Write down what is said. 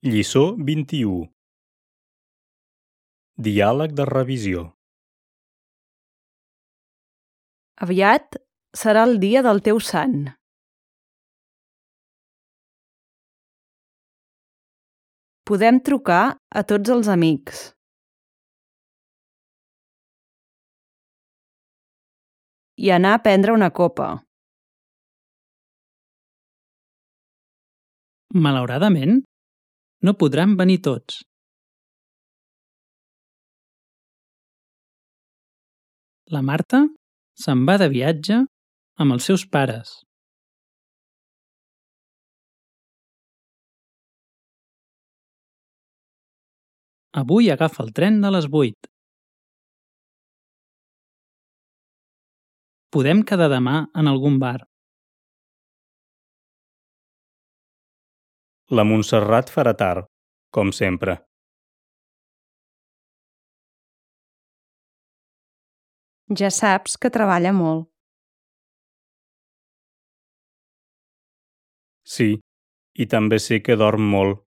Lliçó 21. Diàleg de revisió. Aviat serà el dia del teu sant. Podem trucar a tots els amics. I anar a prendre una copa. Malauradament, no podran venir tots. La Marta se'n va de viatge amb els seus pares. Avui agafa el tren de les 8. Podem quedar demà en algun bar. La Montserrat farà tard, com sempre. Ja saps que treballa molt. Sí, i també sé que dorm molt.